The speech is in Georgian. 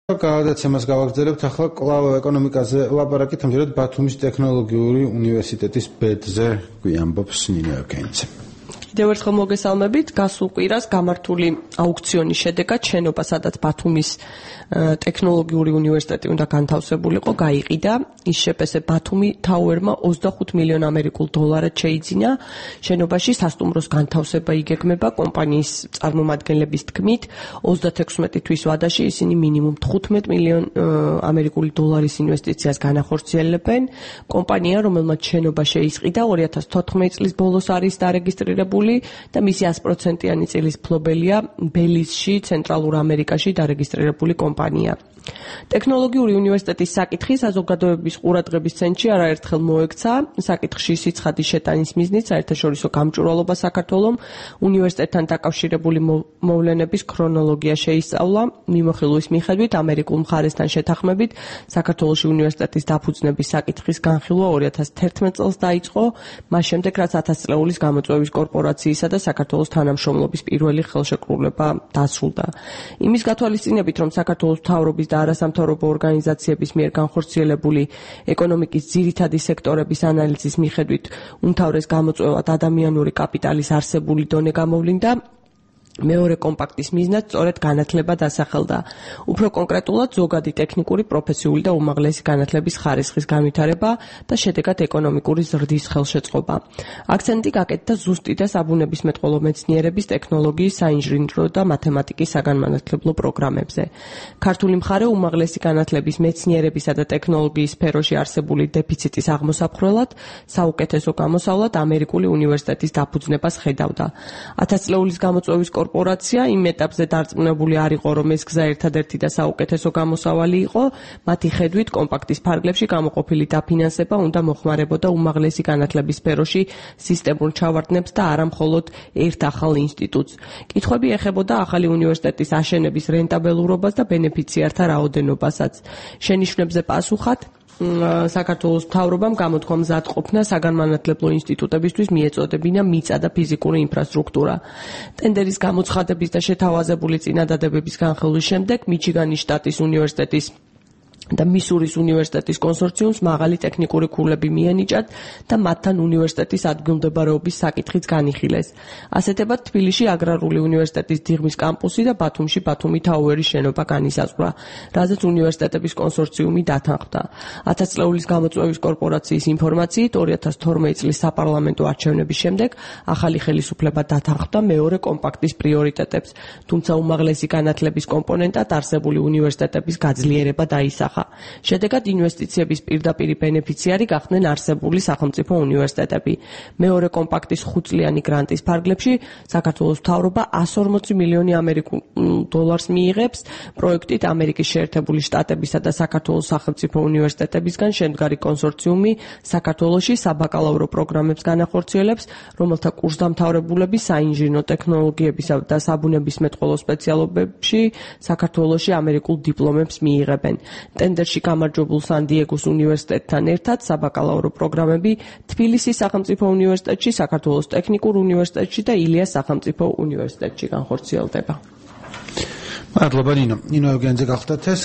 გადაცემას გავაგრძელებთ ახლა კვლავ ეკონომიკაზე ლაპარაკით, ამჯერად ბათუმის ტექნოლოგიური უნივერსიტეტის ბედზე გვიამბობს ნინო ევგენიძე. Კიდევ ერთხელ მოგესალმებით, გასულ კვირას გამართული აუქციონის შედეგად შენობა, სადაც ბათუმის ტექნოლოგიური უნივერსიტეტი უნდა განთავსებულიყო, გაიყიდა. ის შეპესე ბათუმი თაუერმა 25 მილიონ ამერიკულ დოლარად შეიძინა. შენობაში სასტუმროს განთავსება იგეგმება კომპანიის წარმომადგენლების თქმით, 36 თვის ვადაში ისინი მინიმუმ 15 მილიონ ამერიკული დოლარის ინვესტიციას განახორციელებენ. კომპანია, რომელმაც შენობა შეისყიდა 2014 წლის ბოლოს არის დარეგისტრირებული და მისი 100%-იანი წილის მფლობელია ბელიზში, ცენტრალურ ამერიკაში დარეგისტრირებული კომპანია. ტექნოლოგიური უნივერსიტეტის საკითხი საზოგადოების ყურადღების ცენტრში არაერთხელ მოექცა. საკითხში სიცხადის შეტანის მიზნით საერთაშორისო გამჭვირვალობა საქართველოს უნივერსიტეტთან დაკავშირებული მოვლენების ქრონოლოგია შეისწავლა. მიმოხილვის მიხედვით ამერიკულ მხარესთან შეთანხმებით საქართველოს უნივერსიტეტის დაფუძნების საკითხის განხილვა 2011 წელს დაიწყო, მას შემდეგ რაც 1000 წლეულის გამოწვევის კორპორაციისა და საქართველოს თანამშრომლობის პირველი ხელშეკრულება დასრულდა. იმის გათვალისწინებით, რომ საქართველოს მთავრობის და არასამთავრობო ორგანიზაციების მიერ განხორციელებული ეკონომიკის ძირითადი სექტორების ანალიზის მიხედვით უმთავრეს გამოწვევად ადამიანური კაპიტალის არსებული დონე გამოვლინდა, მეორე კომპაქტის მიზნად სწორედ განათლება დასახელდა. უფრო კონკრეტულად, ზოგადი ტექნიკური, პროფესიული და უმაღლესი განათლების ხარისხის განვითარება და შედეგად ეკონომიკური ზრდის ხელშეწყობა. აქცენტი გაკეთდა ზუსტი და საბუნებისმეტყველო მეცნიერების, ტექნოლოგიის, საინჟინრო და მათემატიკის საგანმანათლებლო პროგრამებზე. ქართული მხარე უმაღლესი განათლების, მეცნიერებისა და ტექნოლოგიის სფეროში არსებული დეფიციტის აღმოსაფხრელად საუკეთესო გამოსავლად ამერიკული უნივერსიტეტის დაფუძნებას ხედავდა. 1000 წლეულის გამოწვევის კორპორაცია იმ ეტაპზე დარწმუნებული არ იყო, რომ ეს გზა ერთადერთი და საუკეთესო გამოსავალი იყო. მათი ხედვით, კომპაქტის ფარგლებში გამოყოფილი დაფინანსება უნდა მოხმარებოდა უმაღლესი განათლების სფეროში სისტემურ ჩავარდნებს და არა მხოლოდ ერთ ახალ ინსტიტუტს. კითხვები ეხებოდა ახალი უნივერსიტეტის აშენების რენტაბელურობას და ბენეფიციართა რაოდენობასაც. შენიშვნებზე პასუხად საქართველოს მთავრობამ გამოთქვა მზადყოფნა საგანმანათლებლო ინსტიტუტებისთვის მიეწოდებინა მიწა და ფიზიკური ინფრასტრუქტურა. ტენდერის გამოცხადების და შეთავაზებული წინადადებების განხილვის შემდეგ მიჩიგანის შტატის უნივერსიტეტის და მისურის უნივერსიტეტის კონსორციუმს მაღალი ტექნიკური ქულები მიენიჭათ და მათთან უნივერსიტეტის ადგილმდებარეობის საკითხიც განიხილეს. ასეთებად თბილისში აგრარული უნივერსიტეტის დიღმის კამპუსი და ბათუმში ბათუმი თაუერის შენობა განისაზღვრა, რაზეც უნივერსიტეტების კონსორციუმი დათანხმდა. 1000 წლეულის გამოწვევის კორპორაციის ინფორმაციით 2012 წლის საპარლამენტო არჩევნების შემდეგ ახალი ხელისუფლება დათანხმდა მეორე კომპაქტის პრიორიტეტებს, თუმცა უმაღლესი განათლების კომპონენტად არსებული უნივერსიტეტების გაძლიერება დაისახა. შედეგად ინვესტიციების პირდაპირი ბენეფიციარი გახდნენ არსებული სახელმწიფო უნივერსიტეტები. მეორე კომპაქტის 5 წლიანი გრანტის ფარგლებში საქართველოს მთავრობა 140 მილიონი ამერიკულ დოლარს მიიღებს. პროექტით ამერიკის შეერთებული შტატებისა და საქართველოს სახელმწიფო უნივერსიტეტებისგან შემდგარი კონსორციუმი საქართველოში საბაკალავრო პროგრამებს განახორციელებს, რომელთა კურსდამთავრებულები საინჟინრო ტექნოლოგიებისა და საბუნებისმეტყველო სპეციალობებში საქართველოში ამერიკულ დიპლომებს მიიღებენ. ტენდერში გამარჯვებულ სან-დიეგოს უნივერსიტეტთან ერთად საბაკალავრო პროგრამები თბილისის სახელმწიფო უნივერსიტეტში, საქართველოს ტექნიკურ უნივერსიტეტში და ილიას სახელმწიფო უნივერსიტეტში განხორციელდება. მადლობა ნინო. ნინო ევგენიძე გახლდათ ეს